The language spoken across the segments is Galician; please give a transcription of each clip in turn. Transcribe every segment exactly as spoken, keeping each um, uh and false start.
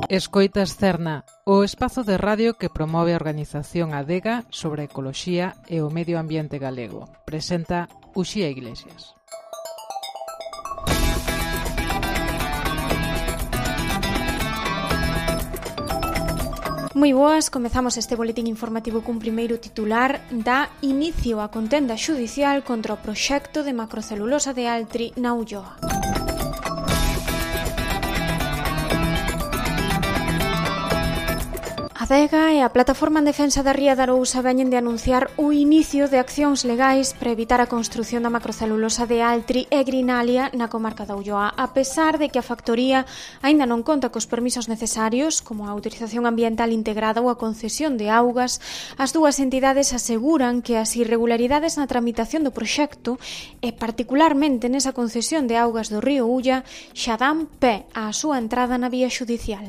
Escoitas Cerna, o espazo de radio que promove a organización Adega sobre a ecoloxía e o medio ambiente galego. Presenta Uxía Iglesias. Moi boas, comezamos este boletín informativo cun primeiro titular. Dá inicio a contenda xudicial contra o proxecto de macrocelulosa de Altri na Ulloa. Adega e a Plataforma en Defensa da Ría de Arousa veñen de anunciar o inicio de accións legais para evitar a construción da macrocelulosa de Altri e Grinalia na comarca da Ulloa, a pesar de que a factoría aínda non conta cos permisos necesarios, como a autorización ambiental integrada ou a concesión de augas. As dúas entidades aseguran que as irregularidades na tramitación do proxecto e particularmente nesa concesión de augas do río Ulla xa dan pé á súa entrada na vía xudicial.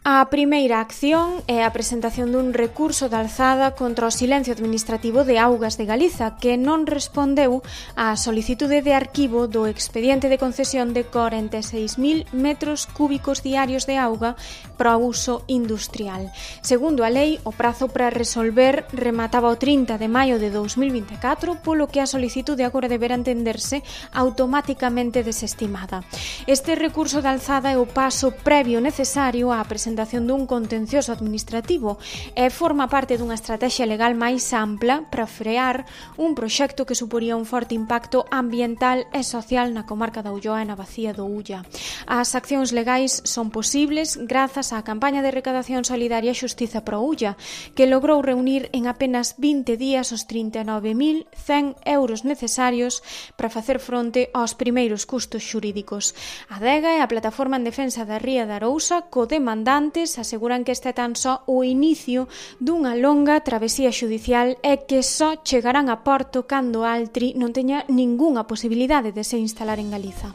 A primeira acción é a presentación dun recurso de alzada contra o silencio administrativo de Augas de Galiza, que non respondeu á solicitude de arquivo do expediente de concesión de corenta e seis mil metros cúbicos diarios de auga para o uso industrial. Segundo a lei, o prazo para resolver remataba o trinta de maio de dous mil vinte e catro, polo que a solicitude agora deberá entenderse automáticamente desestimada. Este recurso de alzada é o paso previo necesario á presentación dun contencioso administrativo e forma parte dunha estrategia legal máis ampla para frear un proxecto que suporía un forte impacto ambiental e social na comarca da Ulloa e na bacía do Ulla. As accións legais son posibles grazas á campaña de recadación solidaria Xustiza pro Ulla, que logrou reunir en apenas vinte días os trinta e nove mil cen euros necesarios para facer fronte aos primeiros custos xurídicos. A Adega e a Plataforma en Defensa da Ría de Arousa, co-demandante, aseguran que este é tan só o inicio dunha longa travesía xudicial e que só chegarán a porto cando Altri non teña ningunha posibilidade de se instalar en Galiza.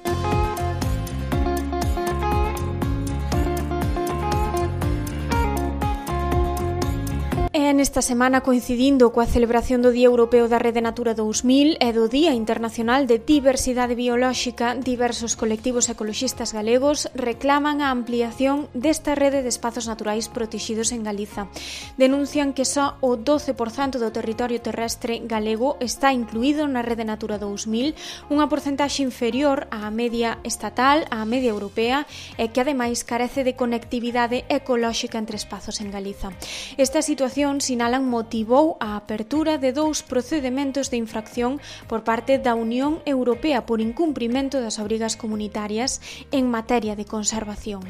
E nesta semana, coincidindo coa celebración do Día Europeo da Rede Natura dous mil e do Día Internacional de Diversidade Biolóxica, diversos colectivos ecoloxistas galegos reclaman a ampliación desta rede de espazos naturais protexidos en Galiza. Denuncian que só o doce por cento do territorio terrestre galego está incluído na Rede Natura dous mil, unha porcentaxe inferior á media estatal, á media europea, e que ademais carece de conectividade ecolóxica entre espazos en Galiza. Esta situación, sinalan, motivou a apertura de dous procedementos de infracción por parte da Unión Europea por incumprimento das obrigas comunitarias en materia de conservación.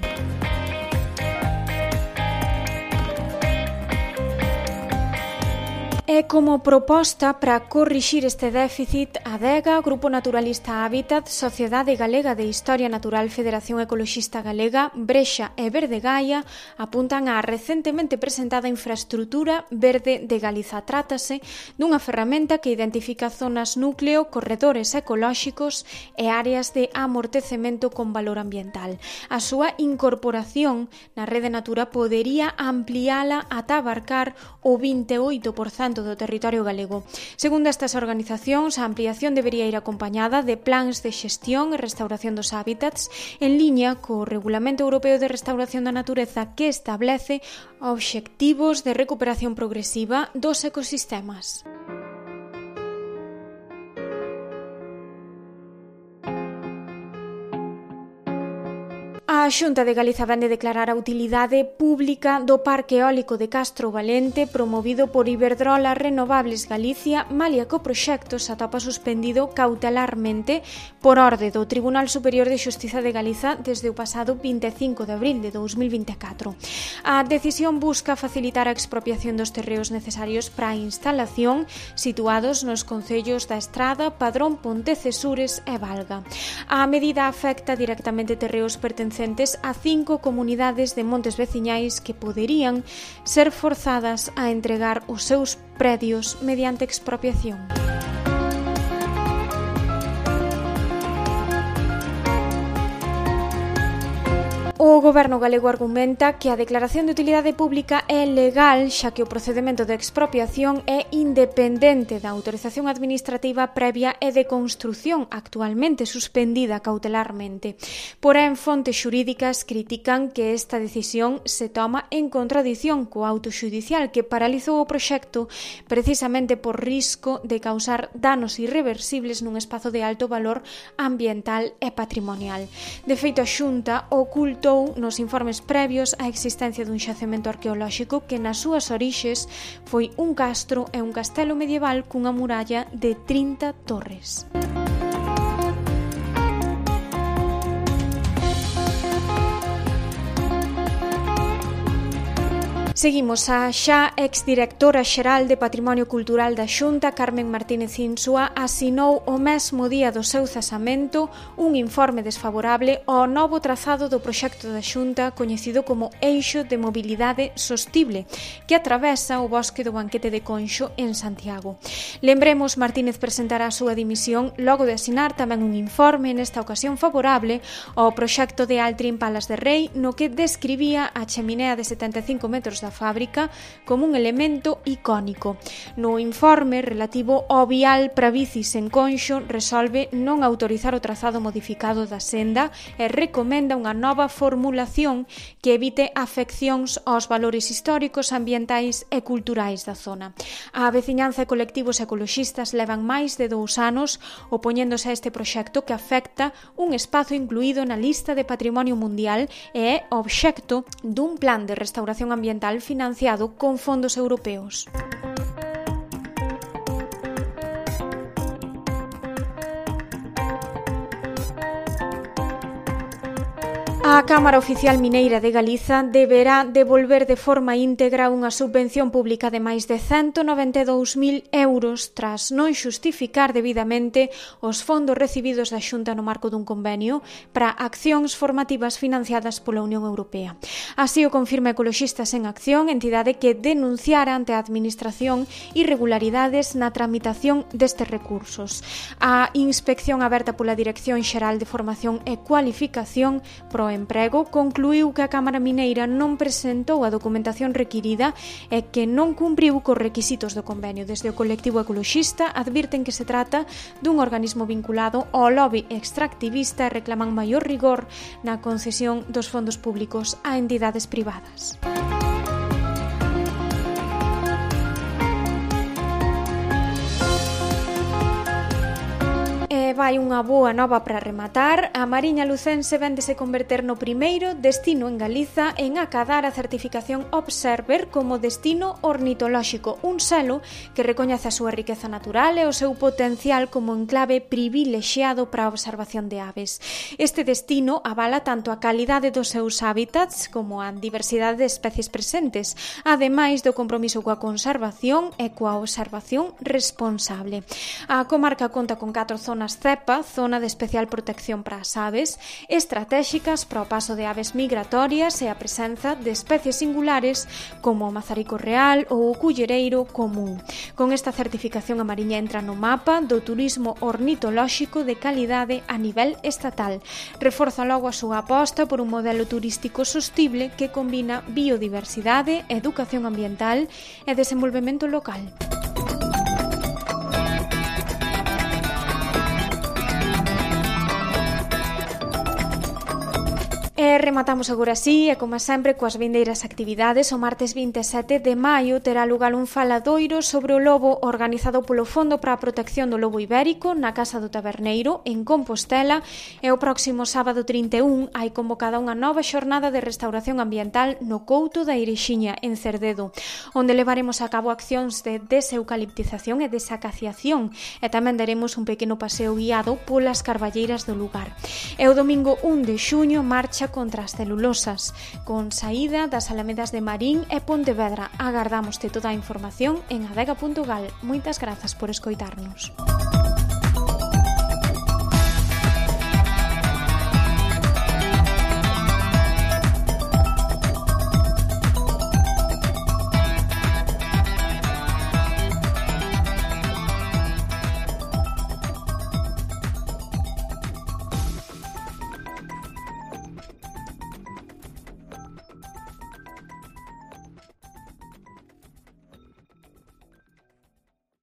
E como proposta para corrixir este déficit, Adega, Grupo Naturalista Hábitat, Sociedade Galega de Historia Natural, Federación Ecoloxista Galega, Brexa e Verde Gaia apuntan á recentemente presentada infraestrutura Verde de Galiza. Trátase dunha ferramenta que identifica zonas núcleo, corredores ecolóxicos e áreas de amortecemento con valor ambiental. A súa incorporación na Rede Natura podería ampliala ata abarcar o vinte e oito por cento do territorio galego. Segundo estas organizacións, a ampliación debería ir acompañada de plans de xestión e restauración dos hábitats en liña co Regulamento Europeo de Restauración da Natureza, que establece obxectivos de recuperación progresiva dos ecosistemas. A Xunta de Galiza vén de declarar a utilidade pública do Parque Eólico de Castro Valente promovido por Iberdrola Renovables Galicia, malia que o proxecto se atopa suspendido cautelarmente por orde do Tribunal Superior de Xustiza de Galiza desde o pasado vinte e cinco de abril de dous mil vinte e catro. A decisión busca facilitar a expropiación dos terreos necesarios para a instalación situados nos concellos da Estrada, Padrón, Pontecesures e Valga. A medida afecta directamente terreos pertencentes a cinco comunidades de montes veciñais que poderían ser forzadas a entregar os seus predios mediante expropiación. O Goberno galego argumenta que a declaración de utilidade pública é legal, xa que o procedemento de expropiación é independente da autorización administrativa previa e de construción, actualmente suspendida cautelarmente. Porén, fontes xurídicas critican que esta decisión se toma en contradición co auto xudicial que paralizou o proxecto precisamente por risco de causar danos irreversibles nun espazo de alto valor ambiental e patrimonial. De feito, a Xunta ocultou nos informes previos a existencia dun xacemento arqueolóxico que nas súas orixes foi un castro e un castelo medieval cunha muralla de trinta torres. Seguimos. A xa exdirectora xeral de Patrimonio Cultural da Xunta, Carmen Martínez Insua, asinou o mesmo día do seu cesamento un informe desfavorable ao novo trazado do proxecto da Xunta coñecido como Eixo de Mobilidade Sostible, que atravesa o bosque do Banquete de Conxo en Santiago. Lembremos, Martínez presentará a súa dimisión logo de asinar tamén un informe, nesta ocasión favorable, ao proxecto de Altri en Palas de Rei, no que describía a cheminea de setenta e cinco metros da fábrica como un elemento icónico. No informe relativo ao vial para bicis en Conxo resolve non autorizar o trazado modificado da senda e recomenda unha nova formulación que evite afeccións aos valores históricos, ambientais e culturais da zona. A veciñanza e colectivos ecoloxistas levan máis de dous anos opoñéndose a este proxecto que afecta un espazo incluído na lista de Patrimonio Mundial e é obxecto dun plan de restauración ambiental financiado con fondos europeos. A Cámara Oficial Mineira de Galiza deberá devolver de forma íntegra unha subvención pública de máis de ciento noventa e dous mil euros tras non xustificar debidamente os fondos recibidos da Xunta no marco dun convenio para accións formativas financiadas pola Unión Europea. Así o confirma Ecoloxistas en Acción, entidade que denunciara ante a Administración irregularidades na tramitación destes recursos. A inspección aberta pola Dirección Xeral de Formación e Cualificación pro Emprego concluíu que a Cámara Mineira non presentou a documentación requirida e que non cumpriu cos requisitos do convenio. Desde o colectivo ecoloxista advirten que se trata dun organismo vinculado ao lobby extractivista e reclaman maior rigor na concesión dos fondos públicos a entidades privadas. Vai unha boa nova para rematar. A Mariña Lucense véndese converter no primeiro destino en Galiza en acadar a certificación Observer como destino ornitolóxico, un selo que recoñece a súa riqueza natural e o seu potencial como enclave privilexiado para a observación de aves. Este destino avala tanto a calidade dos seus hábitats como a diversidade de especies presentes, ademais do compromiso coa conservación e coa observación responsable. A comarca conta con catro zonas CEPA, zona de especial protección para as aves, estratégicas para o paso de aves migratorias e a presenza de especies singulares como o mazarico real ou o cullereiro común. Con esta certificación a Mariña entra no mapa do turismo ornitolóxico de calidade a nivel estatal. Reforza logo a súa aposta por un modelo turístico sostible que combina biodiversidade, educación ambiental e desenvolvemento local. E rematamos agora así, e como sempre, coas vindeiras actividades. O martes vinte e sete de maio terá lugar un faladoiro sobre o lobo organizado polo Fondo para a Protección do Lobo Ibérico na Casa do Taberneiro, en Compostela, e o próximo sábado trinta e un hai convocada unha nova xornada de restauración ambiental no Couto da Irexiña, en Cerdedo, onde levaremos a cabo accións de deseucaliptización e desacaciación, e tamén daremos un pequeno paseo guiado polas carballeiras do lugar. E o domingo un de xuño marcha contra as celulosas, con saída das Alamedas de Marín e Pontevedra. Agardámoste toda a información en adega punto gal. Moitas grazas por escoitarnos.